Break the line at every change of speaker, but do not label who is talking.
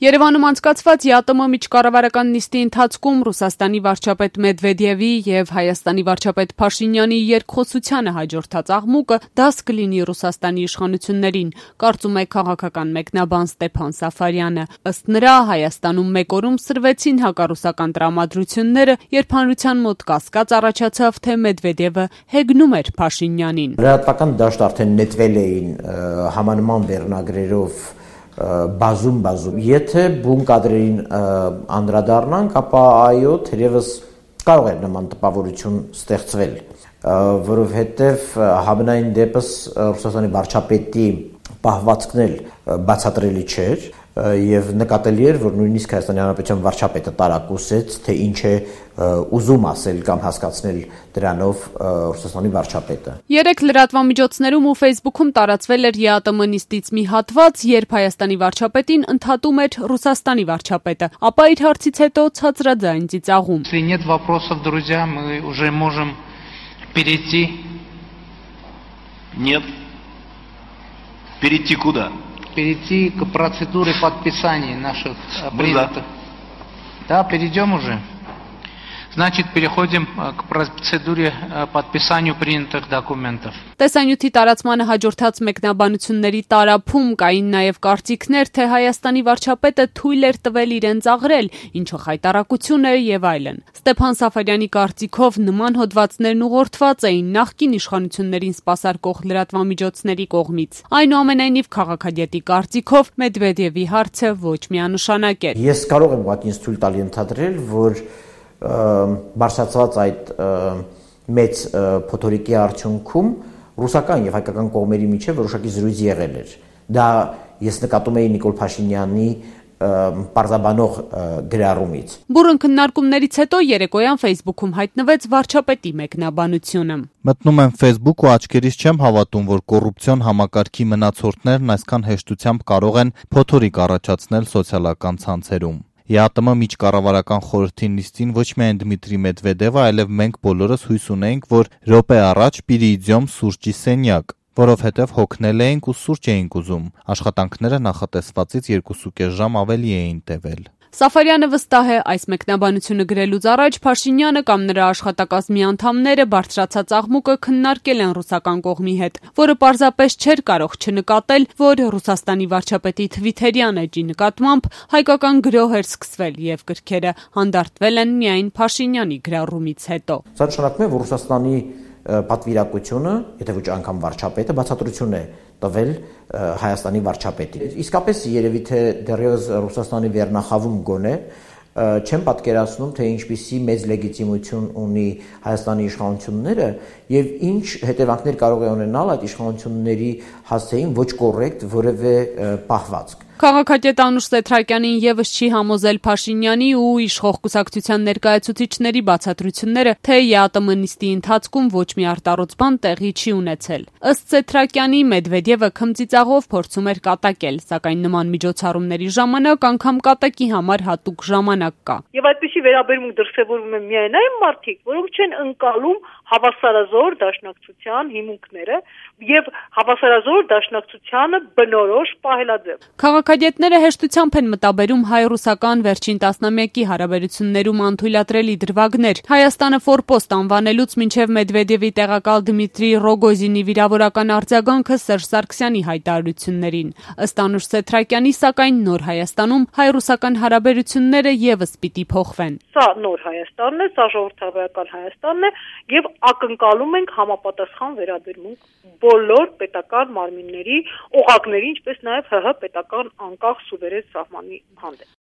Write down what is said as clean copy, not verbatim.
Երևանում անցկացված ԵԱՏՄ միջկառավարական նիստի ընթացքում Ռուսաստանի վարչապետ Մեդվեդևի եւ Հայաստանի վարչապետ Փաշինյանի երկխոսությանը հաջորդած աղմուկը դաս կլինի Ռուսաստանի իշխանություններին, կարծում է քաղաքական մեկնաբան Ստեփան Սաֆարյանը։ Ըստ նրա, Հայաստանում մեկ օրում սրվեցին հակառուսական տրամադրությունները, երբ հանրության մոտ կասկած առաջացավ, թե Մեդվեդևը հեգնում էր Փաշինյանին։
Լրատվական դաշտ արդեն նետվել էին համանման վերնագրերով բազում։ Եթե բուն կադրերին անդրադառնանք, ապա այո, թերևս կարող է նման տպավորություն ստեղծվել, որովհետև համենայն դեպս Ռուսաստանի վարչապետի պահվածքն էլ բացատրելի չէր եւ նկատելի էր, որ նույնիսկ Հայաստանի Հանրապետության վարչապետը տարակուսեց, թե ինչ է ուզում ասել կամ հասկացնել դրանով Ռուսաստանի վարչապետը։
Երեք լրատվամիջոցներում ու Facebook-ում տարածվել էր ԵԱՏՄ նիստից մի հատված, երբ Հայաստանի վարչապետին ընդհատում էր Ռուսաստանի վարչապետը, ապա իր հարցից հետո ցածրաձայն ծիծաղում։
Если нет вопросов, друзья, мы уже можем перейти.
Нет. Перейти куда?
Перейти к процедуре подписания наших принятых. Да, перейдем уже. Значит, переходим к процедуре подписанию принятых документов.
Տեսանյութի տարածմանը հաջորդած մեկնաբանությունների տարափում կային նաև կարծիքներ, թե Հայաստանի վարչապետը թույլ էր տվել իրեն ծաղրել, ինչը խայտառակություն էր եւ այլն։ Ստեփան Սաֆարյանի կարծիքով նման հոդվածներն ուղղորդված էին նախկին իշխանություններին սպասարկող լրատվամիջոցների կողմից։ Այնուամենայնիվ քաղաքագետի կարծիքով Մեդվեդևի հարցը ոչ միանշանակ էր։
Ես կարող եմ ուղղակի թույլ տալ ենթադրել, որ բարձրացված այդ մեծ փոթորիկի արդյունքում ռուսական եւ հայկական կողմերի միջեւ որոշակի զրույց եղել էր։ Դա ես նկատում էի Նիկոլ Փաշինյանի պարզաբանող գրառումից։
Բուրըն քննարկումներից հետո երեկոյան Facebook-ում հայտնվեց վարչապետի մեկնաբանությունը։
Մտնում եմ Facebook ու աչքերիս չեմ հավատում, որ կոռուպցիոն համակարգի մնացորդներն այսքան հեշտությամբ կարող են փոթորիկ առաջացնել սոցիալական ցանցերում։ ԵԱՏՄ միջկառավարական խորհրդի նիստին ոչ միայն Դմիտրի Մեդվեդևը, այլև մենք բոլորս հույս ունեինք, որ րոպե առաջ պիրիիդյոմ սուրճի սենյակ, որովհետև հոգնել էինք ու սուրճ էինք ուզում։ Աշխատանքները նախատեսվածից 2.5 ժամ ավելի էին տևել։
Սաֆարյանը վստահ է, այս մեկնաբանությունը գրելուց առաջ Փաշինյանը կամ նրա աշխատակազմի անդամները բարձրացած աղմուկը քննարկել են ռուսական կողմի հետ, որը պարզապես չէր կարող չնկատել, որ Ռուսաստանի վարչապետի թվիթերյան էջի նկատմամբ հայկական գրոհ էր սկսվել եւ գրքերը հանդարտվել են միայն Փաշինյանի գրառումից հետո։
Սա նշանակում է, որ Ռուսաստանի պատվիրակությունը, եթե ոչ անգամ վարչապետը բացատրություն է տվել Հայաստանի վարչապետին։ Իսկապես երևի թե դեռևս Ռուսաստանի վերնախավում գոնե չեմ պատկերացնում, թե ինչպիսի մեծ լեգիտիմություն ունի Հայաստանի իշխանությունները եւ ինչ հետևանքներ կարող է ունենալ այդ իշխանությունների հասցեին ոչ կոռեկտ որևէ պահվածք։
Քաղաքագետ Անուշ Սեթրակյանին եւս չի համոզել Փաշինյանի ու իշխող կուսակցության ներկայացուցիչների բացատրությունները, թե ԵԱՏՄ նիստի ընթացքում ոչ մի արտառոց բան տեղի չի ունեցել։ Ըստ Սեթրակյանի Մեդվեդևը քմծիծաղով փորձում էր կատակել, սակայն նման միջոցառումների ժամանակ անգամ կատակի համար հատուկ ժամանակ կա։
Եվ այդպիսի վերաբերմունք դրսևորվում է միայն այն մարդիկ, որոնք չեն ընկալում հավասարազոր դաշնակցության հիմունքները եւ հավասարազոր դաշնակցությանը բնորոշ պահելաձև։
Քաղաքագետները հեշտությամբ են մտաբերում հայ-ռուսական վերջին տասնամյակի հարաբերություններում անթույլատրելի դրվագներ, Հայաստանը ֆորպոստ անվանելուց մինչև Մեդվեդևի տեղակալ Դմիտրի Ռոգոզինի վիրավորական արձագանքը Սերժ Սարգսյանի հայտարարություններին։ Ըստ Անուշ Սեթրակյանի, սակայն նոր Հայաստանում հայ-ռուսական հարաբերությունները եւս պիտի փոխվեն։
Սա նոր Հայաստանն է, սա ժողովրդավարական Հայաստանն է եւ ակնկալում ենք համապատասխան վերաբերմունք բոլոր պետական մարմինների, օղակների, ինչպես նաեւ ՀՀ պետական անկախ սուվերեն սահմանի հանդեպ։